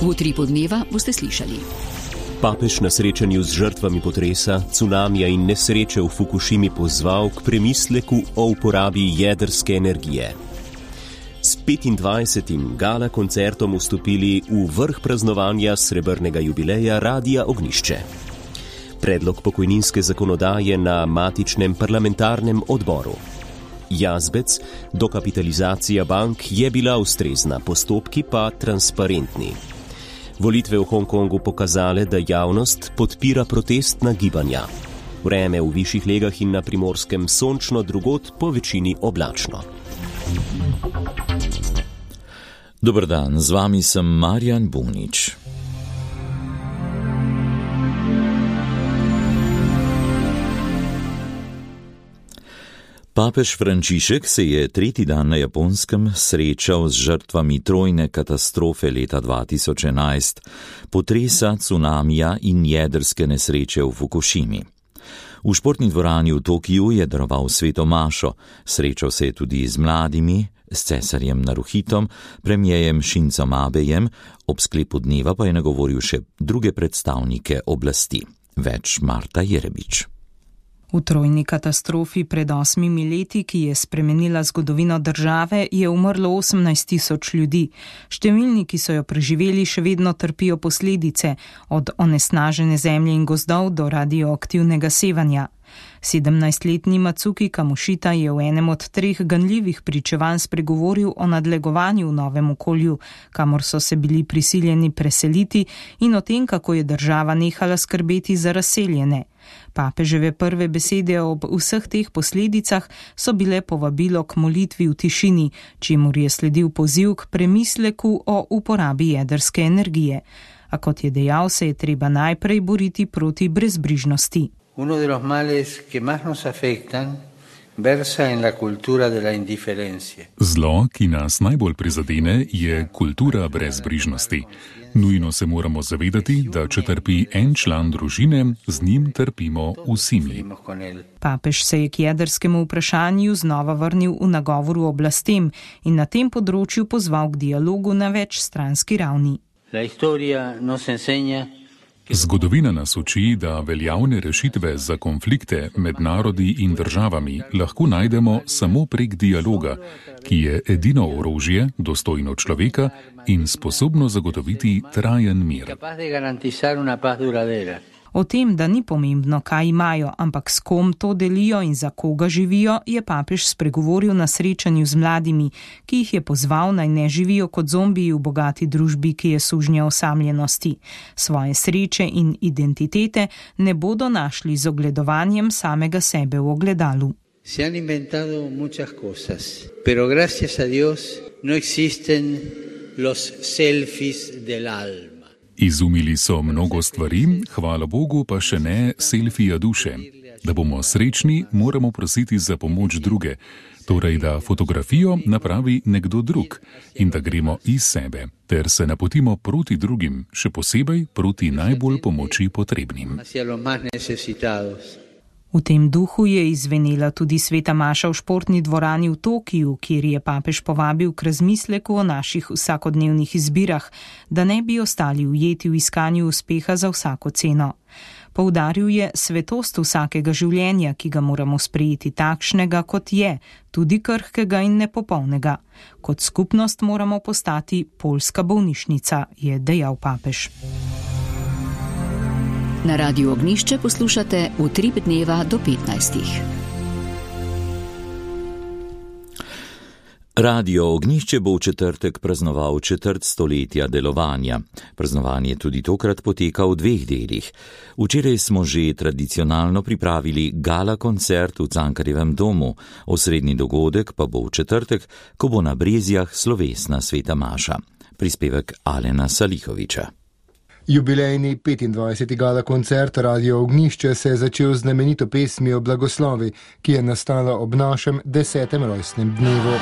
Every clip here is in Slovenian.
V Utripu dneva boste slišali. Papež na srečanju z žrtvami potresa, cunamija in nesreče v Fukušimi pozval k premisleku o uporabi jedrske energije. S 25. gala koncertom vstopili v vrh praznovanja srebrnega jubileja Radia Ognjišče. Predlog pokojninske zakonodaje na matičnem parlamentarnem odboru. Jazbec, dokapitalizacija bank je bila ustrezna, postopki pa transparentni. Volitve v Hongkongu pokazale, da javnost podpira protestna gibanja. Vreme v višjih legah in na Primorskem sončno, drugod po večini oblačno. Dober dan, z vami sem Marjan Bunič. Papež Frančišek se je tretji dan na Japonskem srečal z žrtvami trojne katastrofe leta 2011, potresa, cunamija in jedrske nesreče v Fukušimi. V športni dvorani v Tokiju je daroval sveto mašo, srečal se je tudi z mladimi, s cesarjem Naruhitom, premierjem Shinzom Abejem, ob sklepu dneva pa je nagovoril še druge predstavnike oblasti. Več Marta Jerebič. V trojni katastrofi pred 8 leti, ki je spremenila zgodovino države, je umrlo 18.000 ljudi. Številni, ki so jo preživeli, še vedno trpijo posledice, od onesnažene zemlje in gozdov do radioaktivnega sevanja. 17-letni Matsuki Kamošita je v enem od 3 ganljivih pričevanj spregovoril o nadlegovanju v novem okolju, kamor so se bili prisiljeni preseliti, in o tem, kako je država nehala skrbeti za razseljene. Papeževe prve besede ob vseh teh posledicah so bile povabilo k molitvi v tišini, čemur je sledil poziv k premisleku o uporabi jedrske energije. A kot je dejal, se je treba najprej boriti proti brezbrižnosti. Uno de los males que más nos afectan versa en la cultura de la indiferencia. Zlo, ki nas najbolj prizadene, je kultura brezbrižnosti. Nujno se moramo zavedati, da če trpi en član družine, z njim trpimo vsi mi. Papež se je k jedrskemu vprašanju znova vrnil v nagovoru oblastem in na tem področju pozval k dialogu na večstranski ravni. La historia nos enseña. Zgodovina nas uči, da veljavne rešitve za konflikte med narodi in državami lahko najdemo samo prek dialoga, ki je edino orožje, dostojno človeka in sposobno zagotoviti trajen mir. O tem, da ni pomembno, kaj imajo, ampak s kom to delijo in za koga živijo, je papež spregovoril na srečanju z mladimi, ki jih je pozval, naj ne živijo kot zombiji v bogati družbi, ki je sužnja osamljenosti. Svoje sreče in identitete ne bodo našli z ogledovanjem samega sebe v ogledalu. Se han inventado muchas cosas, pero gracias a Dios no existen los selfies del alma. Izumili so mnogo stvari, hvala Bogu pa še ne selfija duše. Da bomo srečni, moramo prositi za pomoč druge, torej da fotografijo napravi nekdo drug in da gremo iz sebe, ter se napotimo proti drugim, še posebej proti najbolj pomoči potrebnim. V tem duhu je izvenela tudi sveta maša v športni dvorani v Tokiju, kjer je papež povabil k razmisleku o naših vsakodnevnih izbirah, da ne bi ostali ujeti v iskanju uspeha za vsako ceno. Poudaril je svetost vsakega življenja, ki ga moramo sprejeti takšnega, kot je, tudi krhkega in nepopolnega. Kot skupnost moramo postati poljska bolnišnica, je dejal papež. Na Radiu Ognjišče poslušate Utrip dneva do 15. Radio Ognjišče bo v četrtek praznoval 4. stoletja delovanja. Praznovanje tudi tokrat poteka v 2 delih. Včeraj smo že tradicionalno pripravili gala koncert v Cankarjevem domu, osrednji dogodek pa bo v četrtek, ko bo na Brezjah slovesna sveta maša. Prispevek Alena Salihoviča. Jubilejni 25. gala koncert Radio Ognjišče se je začel z znamenito pesmijo Blagoslovi, ki je nastala ob našem 10. rojstnem dnevu.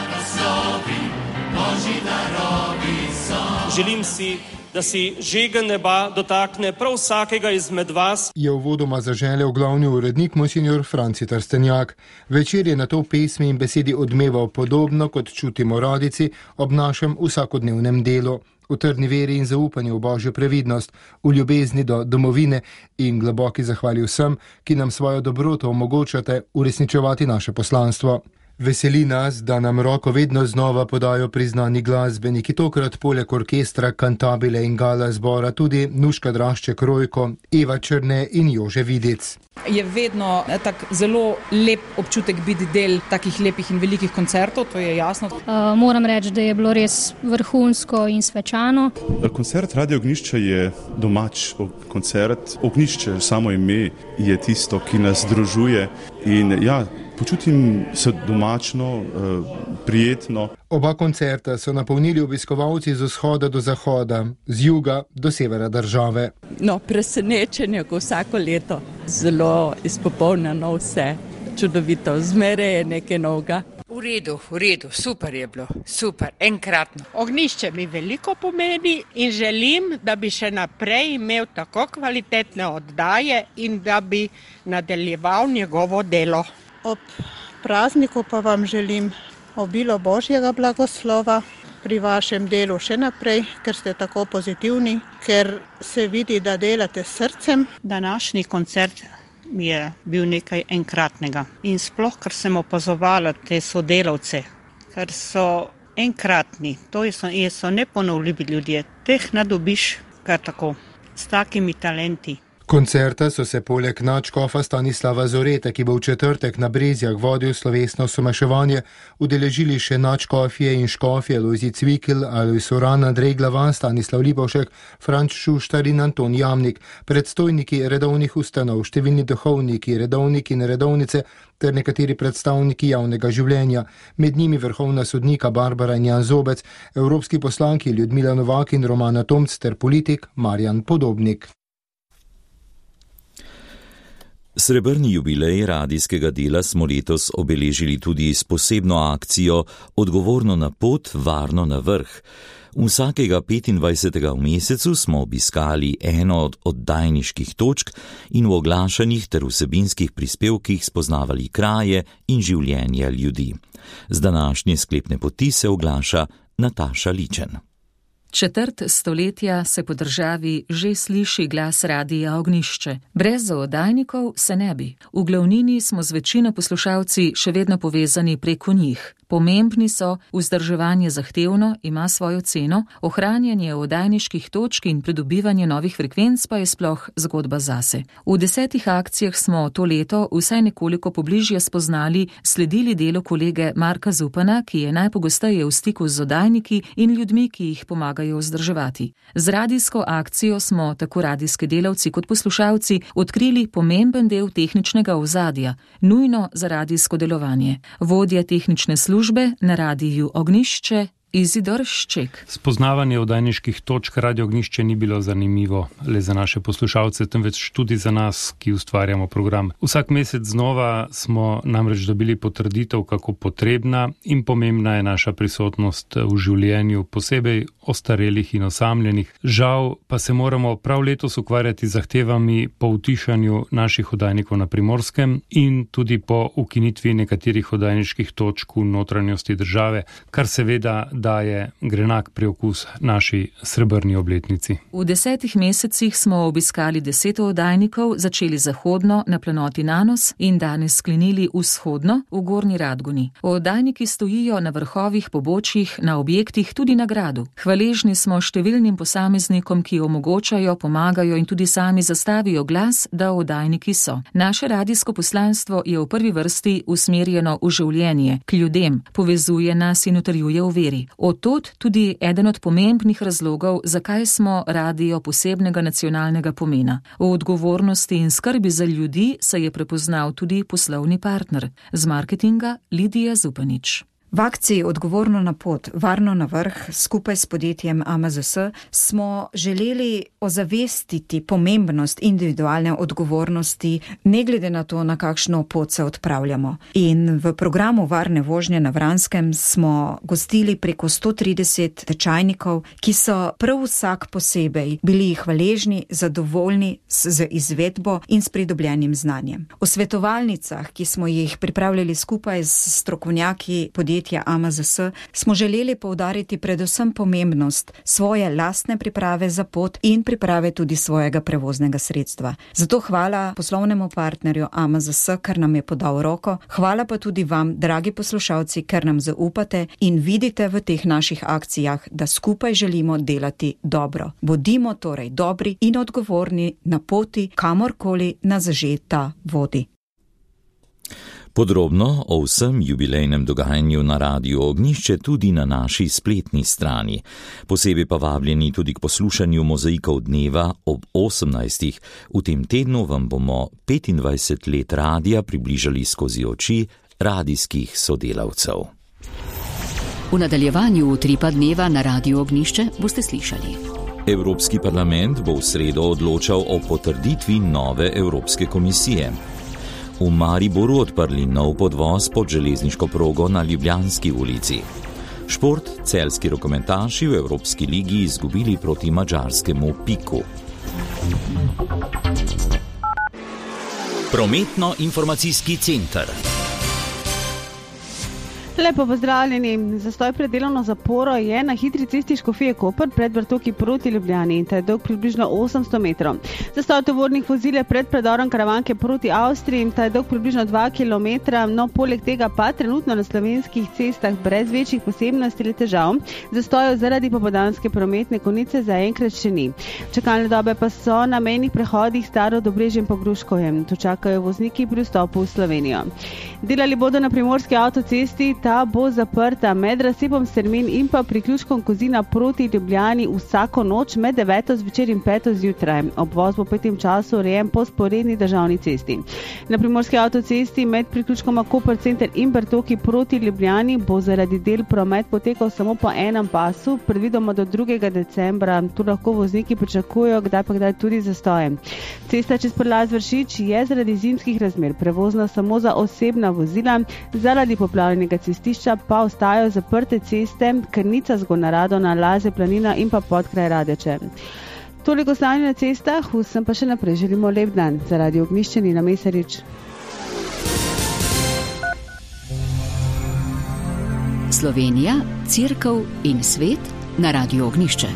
Želim si, da si žegen neba dotakne prav vsakega izmed vas. Je uvodoma zaželel glavni urednik monsignor Franci Trstenjak. Večer je na to pesmi in besedi odmeval podobno, kot čutimo radici ob našem vsakodnevnem delu. v trdni veri in zaupanju v božjo previdnost, v ljubezni do domovine in globoki zahvali vsem, ki nam svojo dobroto omogočate uresničevati naše poslanstvo. Veseli nas, da nam roko vedno znova podajo priznani glasbeniki, tokrat poleg orkestra, kantabile in gala zbora tudi Nuška Drašček Rojko, Eva Črne in Jože Vidic. Je vedno tak zelo lep občutek biti del takih lepih in velikih koncertov, to je jasno. Moram reči, da je bilo res vrhunsko in svečano. Koncert Radio Ognjišče je domač koncert. Ognjišče, samo ime, je tisto, ki nas združuje in počutim se domačno, prijetno. Oba koncerta so napolnili obiskovalci z vzhoda do zahoda, z juga do severa države. Presenečenje, ko vsako leto. Zelo izpopolnjeno vse, čudovito, zmeraj je nekaj novega. V redu, super je bilo, super, enkratno. Ognjišče mi veliko pomeni in želim, da bi še naprej imel tako kvalitetne oddaje in da bi nadaljeval njegovo delo. Ob prazniku pa vam želim obilo Božjega blagoslova pri vašem delu še naprej, ker ste tako pozitivni, ker se vidi, da delate s srcem. Današnji koncert mi je bil nekaj enkratnega in sploh, ker sem opazovala te sodelavce, ker so enkratni, to so neponovljivi ljudje, teh ne dobiš kar tako, s takimi talenti. Koncerta so se poleg nadškofa Stanislava Zorete, ki bo v četrtek na Brezjah vodil slovesno somaševanje, udeležili še nadškofje in škofje Lojzi Cvikl, Alojz Uran, Andrej Glavan, Stanislav Lipovšek, Franč Šuštar in Anton Jamnik, predstojniki redovnih ustanov, številni duhovniki, redovniki in redovnice ter nekateri predstavniki javnega življenja, med njimi vrhovna sodnika Barbara in Jan Zobec, evropski poslanki Ljudmila Novak in Romana Tomc ter politik Marjan Podobnik. Srebrni jubilej radijskega dela smo letos obeležili tudi s posebno akcijo Odgovorno na pot, varno na vrh. Vsakega 25. v mesecu smo obiskali eno od oddajniških točk in v oglašanih ter vsebinskih prispevkih spoznavali kraje in življenja ljudi. Z današnje sklepne poti se oglaša Nataša Ličen. Četrt stoletja se po državi že sliši glas Radia Ognjišče. Brez oddajnikov se ne bi. V glavnini smo z večino poslušalci še vedno povezani preko njih. Pomembni so, vzdrževanje zahtevno, ima svojo ceno, ohranjanje oddajniških točk in pridobivanje novih frekvenc pa je sploh zgodba zase. V 10 akcijah smo to leto vsaj nekoliko pobližje spoznali, sledili delu kolege Marka Zupana, ki je najpogosteje v stiku z oddajniki in ljudmi, ki jih pomagajo vzdrževati. Z radijsko akcijo smo, tako radijski delavci kot poslušalci, odkrili pomemben del tehničnega ozadja, nujno za radijsko delovanje. Vodja tehnične službe na Radiju Ognjišče Izidor Šček. Spoznavanje oddajniških točk Radio Ognjišče ni bilo zanimivo le za naše poslušalce, temveč tudi za nas, ki ustvarjamo program. Vsak mesec znova smo namreč dobili potrditev, kako potrebna in pomembna je naša prisotnost v življenju, posebej ostarelih in osamljenih. Žal pa se moramo prav letos ukvarjati z zahtevami po utišanju naših oddajnikov na Primorskem in tudi po ukinitvi nekaterih oddajniških točk v notranjosti države, kar seveda daje grenak preokus naši srebrni obletnici. V 10 mesecih smo obiskali 10 oddajnikov, začeli zahodno na planoti Nanos in danes sklenili vzhodno v Gornji Radgoni. Oddajniki stojijo na vrhovih pobočjih, na objektih, tudi na gradu. Hvaležni smo številnim posameznikom, ki omogočajo, pomagajo in tudi sami zastavijo glas, da oddajniki so. Naše radijsko poslanstvo je v prvi vrsti usmerjeno v življenje, k ljudem, povezuje nas in utrjuje v veri. Od tod tudi eden od pomembnih razlogov, zakaj smo radio posebnega nacionalnega pomena. V odgovornosti in skrbi za ljudi se je prepoznal tudi poslovni partner. Z marketinga Lidija Zupanič. V akciji Odgovorno na pot, varno na vrh skupaj s podjetjem AMZS smo želeli ozavestiti pomembnost individualne odgovornosti, ne glede na to, na kakšno pot se odpravljamo. In v programu Varne vožnje na Vranskem smo gostili preko 130 tečajnikov, ki so prav vsak posebej bili hvaležni, zadovoljni z izvedbo in s pridobljenim znanjem. V svetovalnicah, ki smo jih pripravljali skupaj s strokovnjaki podjetja podjetja AMZS smo želeli poudariti predvsem pomembnost svoje lastne priprave za pot in priprave tudi svojega prevoznega sredstva. Zato hvala poslovnemu partnerju AMZS, ker nam je podal roko. Hvala pa tudi vam, dragi poslušalci, ker nam zaupate in vidite v teh naših akcijah, da skupaj želimo delati dobro. Bodimo torej dobri in odgovorni na poti, kamorkoli nas že ta vodi. Podrobno o vsem jubilejnem dogajanju na Radiu Ognjišče tudi na naši spletni strani. Posebej pa vabljeni tudi k poslušanju Mozaikov dneva ob 18. V tem tednu vam bomo 25 let radija približali skozi oči radijskih sodelavcev. V nadaljevanju Utripa dneva na Radiu Ognjišče boste slišali. Evropski parlament bo v sredo odločal o potrditvi nove Evropske komisije. V Mariboru odprli nov podvoz pod železniško progo na Ljubljanski ulici. Šport, celjski rokometaši v Evropski ligi izgubili proti madžarskemu Piku. Prometno-informacijski center. Lepo pozdravljeni. Zastoj pred delovno zaporo je na hitri cesti Škofije Koper pred Vrtoki proti Ljubljani in ta je dolg približno 800 metrov. Zastoj tovornih vozil je pred predorom Karavanke proti Avstriji in ta je dolg približno 2 km, no poleg tega pa trenutno na slovenskih cestah brez večjih posebnosti ali težav. Zastojev zaradi popoldanske prometne konice zaenkrat še ni. Čakalne dobe pa so na mejnih prehodih Staro Dobrežje in Pogruškovje. Tu čakajo vozniki pri vstopu v Slovenijo. Delali bodo na primorski avtocesti. Ta bo zaprta med razcepom Strmin in pa priključkom Kozina proti Ljubljani vsako noč med 9. zvečer in 5. zjutraj. Obvoz bo po tem času urejen po sporedni državni cesti. Na primorski avtocesti med priključkoma Koper center in Vrtoki proti Ljubljani bo zaradi del promet potekal samo po enem pasu, predvidoma do 2. decembra. Tu lahko vozniki pričakujejo, kdaj pa kdaj tudi zastoje. Cesta čez Prlaz Vršič je zaradi zimskih razmer prevozna samo za osebna vozila, zaradi poplavljenega cestišča pa ostajajo zaprte ceste Krnica, Zgornja Radona, Laze, Planina in pa Podkraj Radeče. Toliko stanja na cestah, vsem pa še naprej želimo lep dan. Za Radio Ognjišče Nina Mesarič. Slovenija, Cerkev in svet na Radiu Ognjišče.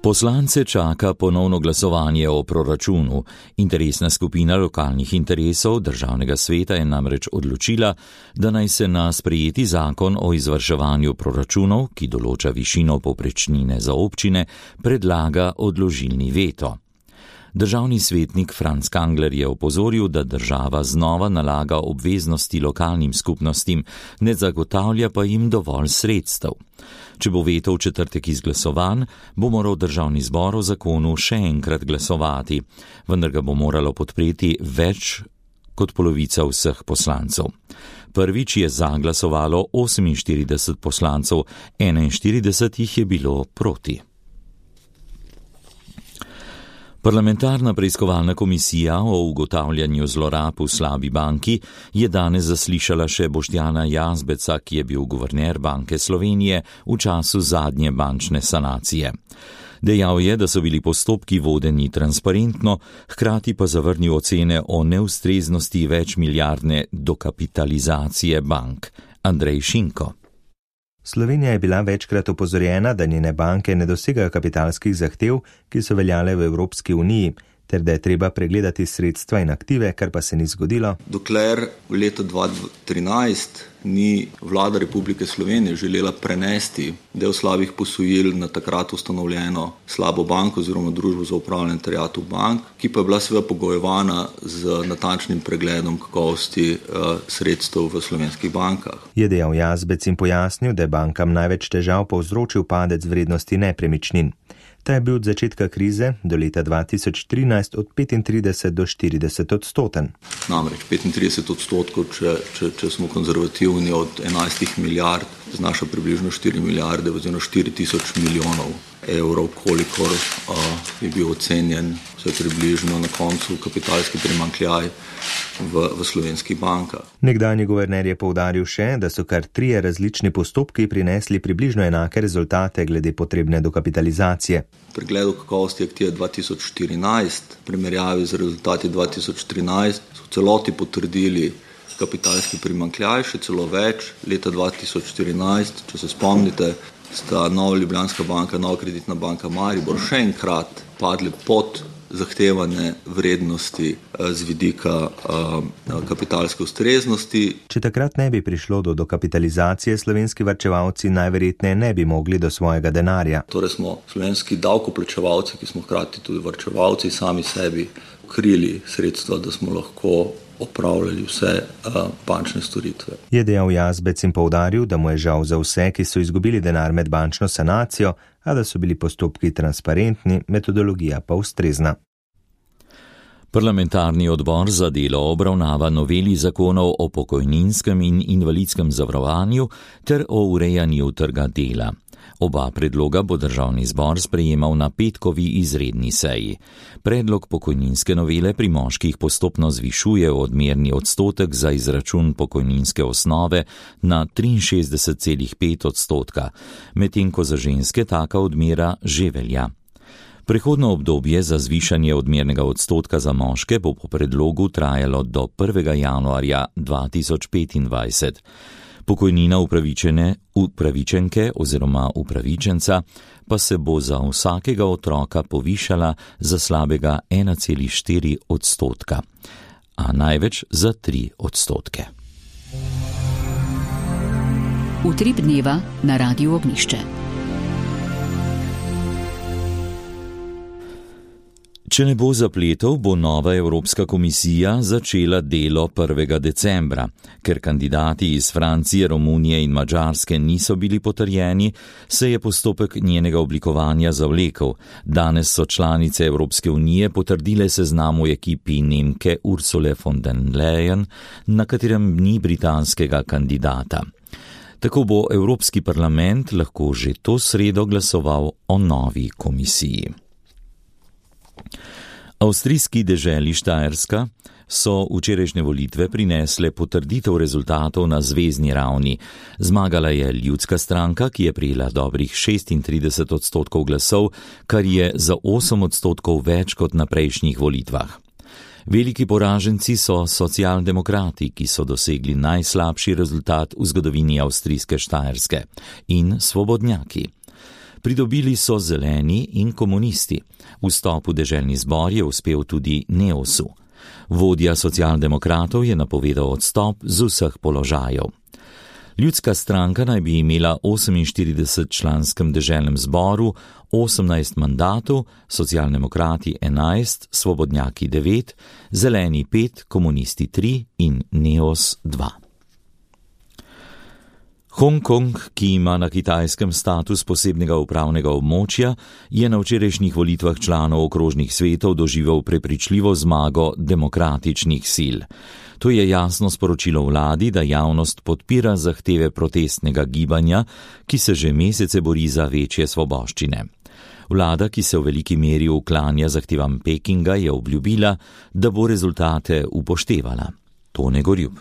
Poslance čaka ponovno glasovanje o proračunu. Interesna skupina lokalnih interesov Državnega sveta je namreč odločila, da naj se na sprejeti zakon o izvrševanju proračunov, ki določa višino povprečnine za občine, predlaga odložilni veto. Državni svetnik Franc Kangler je opozoril, da država znova nalaga obveznosti lokalnim skupnostim, ne zagotavlja pa jim dovolj sredstev. Če bo veto v četrtek izglasovan, bo moral državni zbor o zakonu še enkrat glasovati, vendar ga bo moralo podpreti več kot polovica vseh poslancev. Prvič je za glasovalo 48 poslancev, 41 jih je bilo proti. Parlamentarna preiskovalna komisija o ugotavljanju zlorab v slabi banki je danes zaslišala še Boštjana Jazbeca, ki je bil guverner Banke Slovenije v času zadnje bančne sanacije. Dejal je, da so bili postopki vodeni transparentno, hkrati pa zavrnil ocene o neustreznosti večmilijardne dokapitalizacije bank. Andrej Šinko. Slovenija je bila večkrat opozorjena, da njene banke ne dosegajo kapitalskih zahtev, ki so veljale v Evropski uniji, ter da je treba pregledati sredstva in aktive, kar pa se ni zgodilo. Dokler v letu 2013 ni vlada Republike Slovenije želela prenesti del slabih posojil na takrat ustanovljeno slabo banko oziroma družbo za upravljanje terjatev bank, ki pa je bila seveda pogojevana z natančnim pregledom kakovosti sredstev v slovenskih bankah. Je dejal Jazbec in pojasnil, da je bankam največ težav povzročil padec vrednosti nepremičnin. Ta je bil od začetka krize do leta 2013 od 35 do 40%. Namreč 35%, če smo konzervativni, od 11 milijard znaša približno 4 milijarde oziroma 4000 milijonov evrov, kolikor je bil ocenjen vse približno na koncu kapitalski primanjkljaj v slovenskih bankah. Nekdanji guverner je poudaril še, da so kar 3 različni postopki prinesli približno enake rezultate glede potrebne dokapitalizacije. Pri pregledu kakovosti aktive 2014, v primerjavi z rezultati 2013, so v celoti potrdili kapitalski primanjkljaj, še celo več. Leta 2014, če se spomnite, sta Nova Ljubljanska banka, Nova Kreditna banka Maribor še enkrat padli pod zahtevane vrednosti z vidika kapitalske ustreznosti. Če takrat ne bi prišlo do dokapitalizacije, slovenski varčevalci najverjetneje ne bi mogli do svojega denarja. Torej smo slovenski davkoplačevalci, ki smo hkrati tudi varčevalci, sami sebi krili sredstva, da smo lahko opravljali vse bančne storitve. Je dejal Jazbec in poudaril, da mu je žal za vse, ki so izgubili denar med bančno sanacijo, a da so bili postopki transparentni, metodologija pa ustrezna. Parlamentarni odbor za delo obravnava noveli zakonov o pokojninskem in invalidskem zavarovanju ter o urejanju trga dela. Oba predloga bo državni zbor sprejemal na petkovi izredni seji. Predlog pokojninske novele pri moških postopno zvišuje odmerni odstotek za izračun pokojninske osnove na 63,5%, medtem ko za ženske taka odmera že velja. Prehodno obdobje za zvišanje odmernega odstotka za moške bo po predlogu trajalo do 1. januarja 2025. Pokojnina upravičenke oziroma upravičenca pa se bo za vsakega otroka povišala za slabega 1,4%, a največ za 3%. Utrip dneva na Radiu Ognjišče. Če ne bo zapletov, bo nova Evropska komisija začela delo 1. decembra. Ker kandidati iz Francije, Romunije in Madžarske niso bili potrjeni, se je postopek njenega oblikovanja zavlekel. Danes so članice Evropske unije potrdile seznam v ekipi Nemke Ursule von der Leyen, na katerem ni britanskega kandidata. Tako bo Evropski parlament lahko že to sredo glasoval o novi komisiji. Avstrijski deželi Štajerska so včerajšnje volitve prinesle potrditev rezultatov na zvezni ravni. Zmagala je Ljudska stranka, ki je prejela dobrih 36% glasov, kar je za 8% več kot na prejšnjih volitvah. Veliki poraženci so socialdemokrati, ki so dosegli najslabši rezultat v zgodovini avstrijske Štajerske, in svobodnjaki. Pridobili so zeleni in komunisti. Vstop v deželni zbor je uspel tudi Neosu. Vodja socialdemokratov je napovedal odstop z vseh položajev. Ljudska stranka naj bi imela 48-članskem deželnem zboru 18 mandatov, socialdemokrati 11, svobodnjaki 9, zeleni 5, komunisti 3 in Neos 2. Hongkong, ki ima na Kitajskem status posebnega upravnega območja, je na včerajšnjih volitvah članov okrožnih svetov doživel prepričljivo zmago demokratičnih sil. To je jasno sporočilo vladi, da javnost podpira zahteve protestnega gibanja, ki se že mesece bori za večje svoboščine. Vlada, ki se v veliki meri uklanja zahtevam Pekinga, je obljubila, da bo rezultate upoštevala. Tone Gorjub.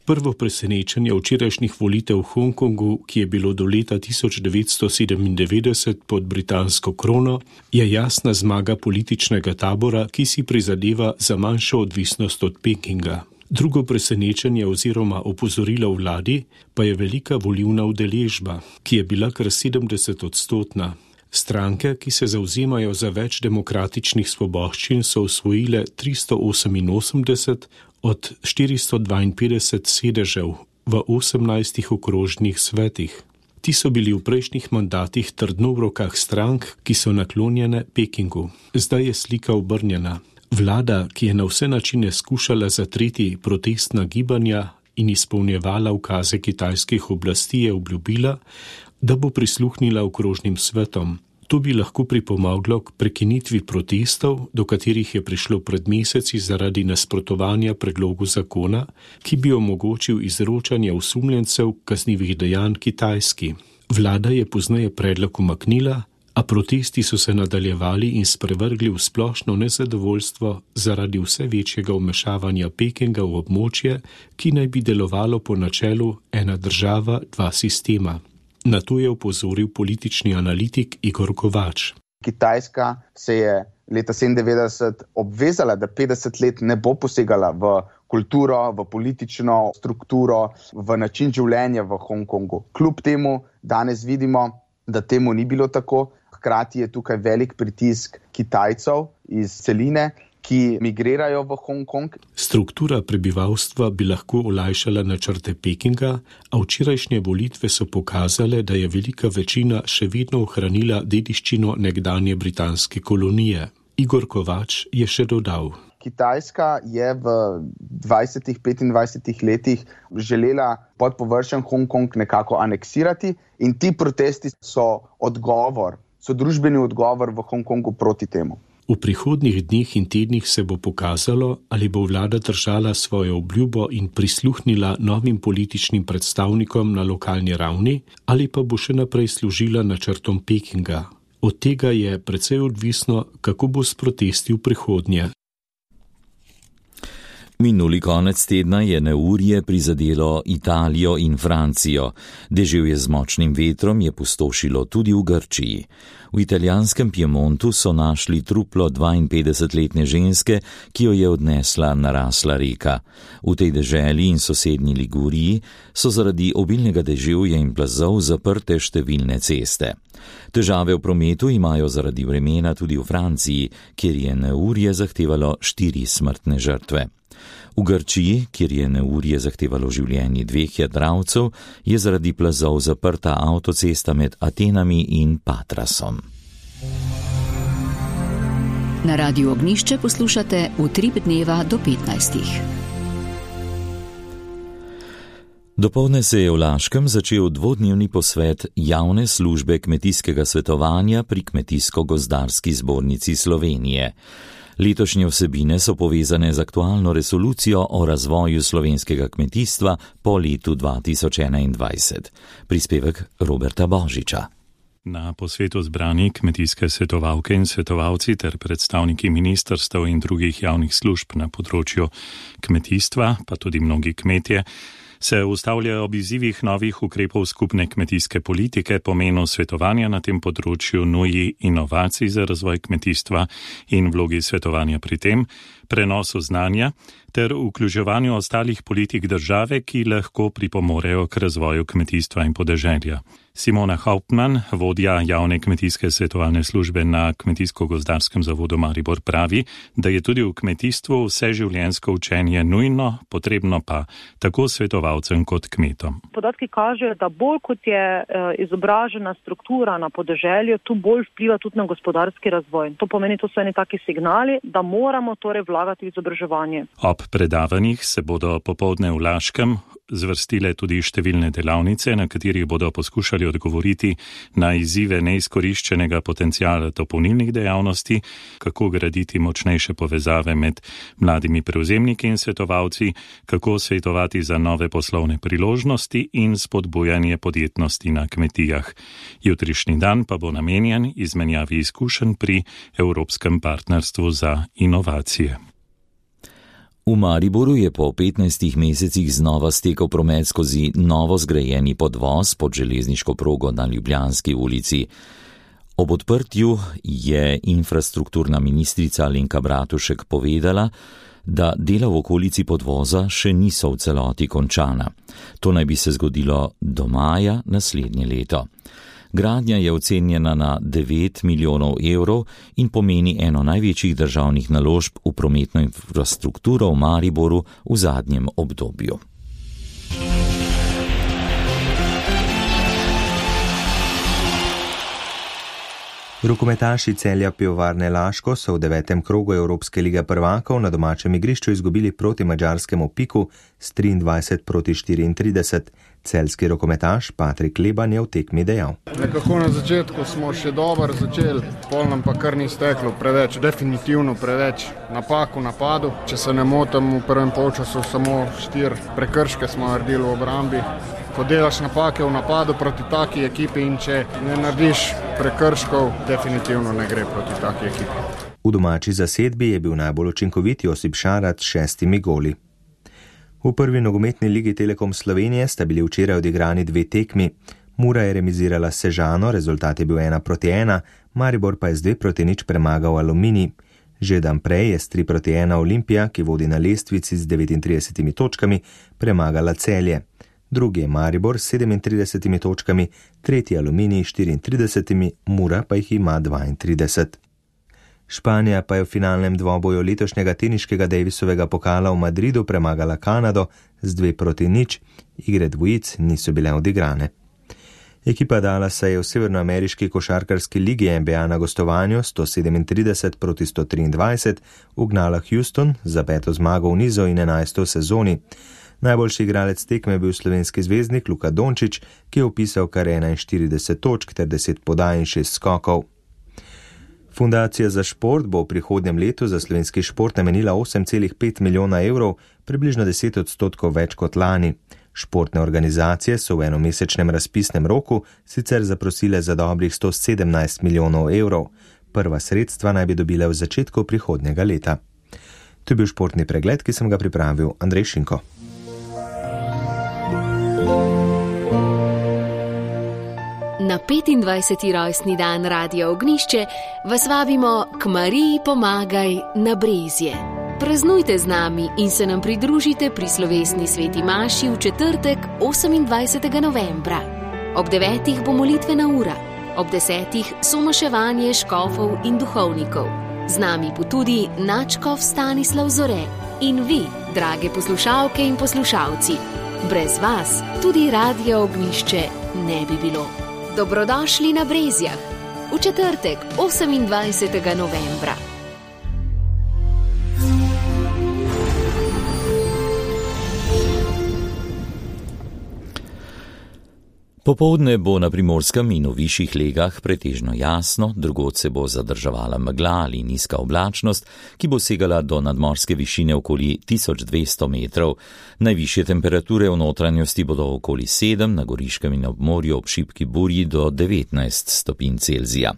Prvo presenečenje včerajšnjih volitev v Hongkongu, ki je bilo do leta 1997 pod britansko krono, je jasna zmaga političnega tabora, ki si prizadeva za manjšo odvisnost od Pekinga. Drugo presenečenje oziroma opozorilo vladi pa je velika volilna udeležba, ki je bila kar 70%. Stranke, ki se zavzemajo za več demokratičnih svoboščin, so osvojile 388 od 452 sedežev v 18 okrožnih svetih. Ti so bili v prejšnjih mandatih trdno v rokah strank, ki so naklonjene Pekingu. Zdaj je slika obrnjena. Vlada, ki je na vse načine skušala zatreti protestna gibanja in izpolnjevala ukaze kitajskih oblasti, je obljubila, da bo prisluhnila okrožnim svetom. To bi lahko pripomoglo k prekinitvi protestov, do katerih je prišlo pred meseci zaradi nasprotovanja predlogu zakona, ki bi omogočil izročanje osumljencev kaznivih dejanj Kitajski. Vlada je pozneje predlog umaknila, a protesti so se nadaljevali in sprevrgli v splošno nezadovoljstvo zaradi vse večjega vmešavanja Pekinga v območje, ki naj bi delovalo po načelu ena država, dva sistema. Na to je opozoril politični analitik Igor Kovač. Kitajska se je leta 1997 obvezala, da 50 let ne bo posegala v kulturo, v politično strukturo, v način življenja v Hongkongu. Kljub temu danes vidimo, da temu ni bilo tako. Hkrati je tukaj velik pritisk Kitajcev iz celine, ki migrirajo v Hongkong. Struktura prebivalstva bi lahko olajšala načrte Pekinga, a včerajšnje volitve so pokazale, da je velika večina še vedno ohranila dediščino nekdanje britanske kolonije. Igor Kovač je še dodal. Kitajska je v 20-25 letih želela pod površjem Hongkong nekako aneksirati in ti protesti so družbeni odgovor v Hongkongu proti temu. V prihodnjih dneh in tednih se bo pokazalo, ali bo vlada držala svojo obljubo in prisluhnila novim političnim predstavnikom na lokalni ravni, ali pa bo še naprej služila načrtom Pekinga. Od tega je precej odvisno, kako bo s protesti v prihodnje. Minuli konec tedna je neurje prizadelo Italijo in Francijo. Deževje z močnim vetrom je pustošilo tudi v Grčiji. V italijanskem Piemontu so našli truplo 52-letne ženske, ki jo je odnesla narasla reka. V tej deželi in sosednji Liguriji so zaradi obilnega deževja in plazov zaprte številne ceste. Težave v prometu imajo zaradi vremena tudi v Franciji, kjer je neurje zahtevalo 4 smrtne žrtve. V Grčiji, kjer je neurje zahtevalo življenje 2 jadralcev, je zaradi plazov zaprta avtocesta med Atenami in Patrasom. Na Radiu Ognišče poslušate Utrip dneva do 15. Dopoldne se je v Laškem začel dvodnevni posvet javne službe kmetijskega svetovanja pri Kmetijsko-gozdarski zbornici Slovenije. Letošnje vsebine so povezane z aktualno resolucijo o razvoju slovenskega kmetijstva po letu 2021. Prispevek Roberta Božiča. Na posvetu zbrani kmetijske svetovalke in svetovalci ter predstavniki ministrstev in drugih javnih služb na področju kmetijstva, pa tudi mnogi kmetje, se ustavljajo ob izzivih novih ukrepov skupne kmetijske politike, pomenu svetovanja na tem področju, nuji inovacij za razvoj kmetijstva in vlogi svetovanja pri tem, prenosu znanja ter vključevanju ostalih politik države, ki lahko pripomorejo k razvoju kmetijstva in podeželja. Simona Hauptmann, vodja javne kmetijske svetovalne službe na Kmetijsko-gozdarskem zavodu Maribor, pravi, da je tudi v kmetijstvu vseživljenjsko učenje nujno, potrebno pa tako svetovalcem kot kmetom. Podatki kažejo, da bolj kot je izobražena struktura na podeželju, tu bolj vpliva tudi na gospodarski razvoj. To pomeni, to so eni taki signali, da moramo torej vlagati v izobraževanje. Ob predavanjih se bodo popoldne v Laškem zvrstile tudi številne delavnice, na katerih bodo poskušali odgovoriti na izzive neizkoriščenega potencijala dopolnilnih dejavnosti, kako graditi močnejše povezave med mladimi prevzemniki in svetovalci, kako svetovati za nove poslovne priložnosti in spodbujanje podjetnosti na kmetijah. Jutrišnji dan pa bo namenjen izmenjavi izkušenj pri Evropskem partnerstvu za inovacije. V Mariboru je po 15 mesecih znova stekel promet skozi novo zgrajeni podvoz pod železniško progo na Ljubljanski ulici. Ob odprtju je infrastrukturna ministrica Alenka Bratušek povedala, da dela v okolici podvoza še niso v celoti končana. To naj bi se zgodilo do maja naslednje leto. Gradnja je ocenjena na 9 milijonov evrov in pomeni eno največjih državnih naložb v prometno infrastrukturo v Mariboru v zadnjem obdobju. Rokometaši Celja Pivovarne Laško so v 9. krogu Evropske lige prvakov na domačem igrišču izgubili proti madžarskemu Piku s 23-34. Celjski rokometaš Patrik Leban je v tekmi dejal. Nekako na začetku smo še dobro začeli, pol nam pa kar ni steklo preveč, definitivno preveč napak v napadu. Če se ne motim, v prvem polčasu samo 4 prekrške smo naredili v obrambi. Ko delaš napake v napadu proti taki ekipi in če ne narediš prekrškov, definitivno ne gre proti taki ekipi. V domači zasedbi je bil najbolj učinkovit Josip Šarat s 6 goli. V prvi nogometni ligi Telekom Slovenije sta bili včeraj odigrani 2 tekmi. Mura je remizirala s Sežano, rezultat je bil 1-1, Maribor pa je z 2-0 premagal Aluminij. Že dan prej je s 3-1 Olimpija, ki vodi na lestvici z 39 točkami, premagala Celje. Drugi je Maribor s 37 točkami, tretji Aluminij s 34, Mura pa jih ima 32. Španija pa je v finalnem dvoboju letošnjega teniškega Davisovega pokala v Madridu premagala Kanado z 2-0, igre dvojic niso bile odigrane. Ekipa Dallasa je v severnoameriški košarkarski ligi NBA na gostovanju 137-123 ugnala Houston za 5. zmago v nizu in 11. v sezoni. Najboljši igralec tekme je bil slovenski zvezdnik Luka Dončić, ki je vpisal kar 41 točk ter 10 podaj in 6 skokov. Fundacija za šport bo v prihodnjem letu za slovenski šport namenila 8,5 milijona evrov, približno 10% več kot lani. Športne organizacije so v enomesečnem razpisnem roku sicer zaprosile za dobrih 117 milijonov evrov. Prva sredstva naj bi dobile v začetku prihodnjega leta. To je bil športni pregled, ki sem ga pripravil Andrej Šinko. Na 25. rojstni dan Radia Ognjišče vas vabimo k Mariji pomagaj na Brezje. Praznujte z nami in se nam pridružite pri slovesni sveti maši v četrtek 28. novembra. Ob 9. bo molitvena ura, ob 10. somaševanje škofov in duhovnikov. Z nami bo tudi nadškof Stanislav Zore in vi, drage poslušalke in poslušalci. Brez vas tudi Radio Ognjišče ne bi bilo. Dobrodošli na Brezjah v četrtek 28. novembra. Popoldne bo na Primorskem in v višjih legah pretežno jasno, drugod se bo zadrževala megla ali nizka oblačnost, ki bo segala do nadmorske višine okoli 1200 metrov. Najvišje temperature v notranjosti bodo okoli 7, na Goriškem in ob morju ob šibki burji do 19 stopinj Celzija.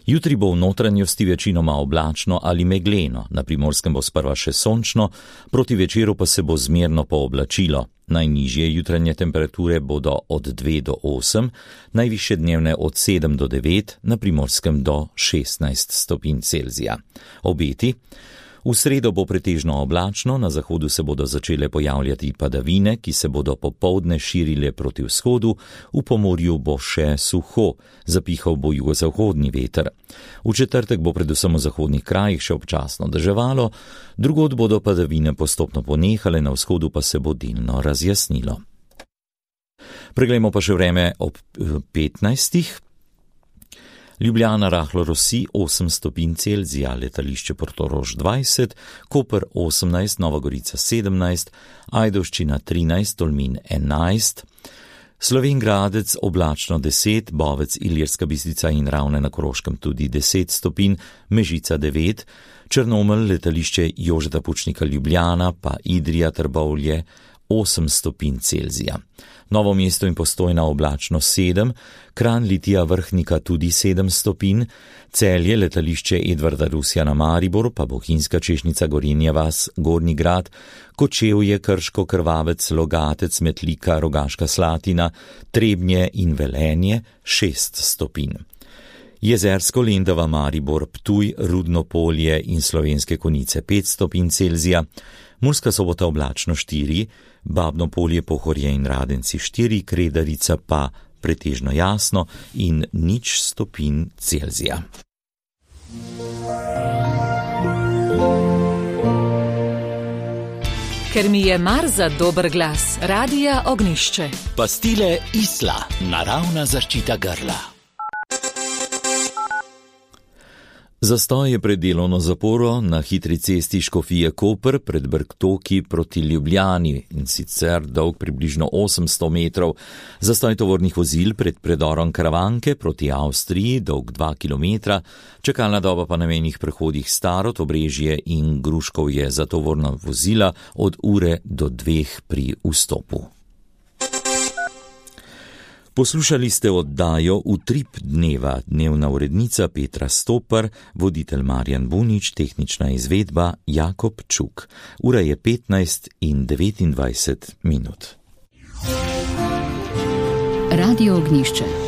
Jutri bo v notranjosti večinoma oblačno ali megleno, na Primorskem bo sprva še sončno, proti večeru pa se bo zmerno pooblačilo. Najnižje jutranje temperature bodo od 2 do 8, najvišje dnevne od 7 do 9, na Primorskem do 16 stopinj Celzija. Obeti. V sredo bo pretežno oblačno, na zahodu se bodo začele pojavljati padavine, ki se bodo popoldne širile proti vzhodu, v Pomorju bo še suho, zapihal bo jugozahodni veter. V četrtek bo predvsem v zahodnih krajih še občasno deževalo, drugod bodo padavine postopno ponehale, na vzhodu pa se bo delno razjasnilo. Preglejmo pa še vreme ob 15. Ljubljana rahlo rosi 8 stopinj Celzija, letališče Portorož 20, Koper 18, Nova Gorica 17, Ajdovščina 13, Tolmin 11, Slovenj Gradec oblačno 10, Bovec, Ilirska Bistrica in Ravne na Koroškem tudi 10 stopinj, Mežica 9, Črnomelj, letališče Jožeta Pučnika Ljubljana pa Idrija Trbovlje 8 stopinj Celzija. Novo mesto in Postojna oblačno 7, Kranj, Litija, Vrhnika tudi 7 stopinj, Celje, letališče Edvarda Rusjana Maribor, pa Bohinjska Češnica, Gorenja vas, Gornji Grad, Kočevje, Krško, Krvavec, Logatec, Metlika, Rogaška Slatina, Trebnje in Velenje 6 stopinj. Jezersko, Lendava, Maribor, Ptuj, Rudno Polje in Slovenske Konjice 5 stopinj Celzija, Murska Sobota oblačno 4, Babno Polje, Pohorje in Radenci 4, Kredarica pa pretežno jasno in 0 stopinj Celzija. Ker mi je mar za dober glas, Radia Ognjišče. Pastile Isla, naravna zaščita grla. Zastoj je pred delovno zaporo na hitri cesti Škofije Koper pred Brktoki proti Ljubljani in sicer dolg približno 800 metrov. Zastoj tovornih vozil pred predorom Karavanke proti Avstriji dolg 2 km, čakalna doba pa na mejnih prehodih Starod, Obrežje in Gruškovje za tovorna vozila od ure do 2 pri vstopu. Poslušali ste oddajo Utrip dneva, dnevna urednica Petra Stopar, voditelj Marjan Bunič, tehnična izvedba Jakob Čuk. Ura je 15:29. Radio Ognjišče.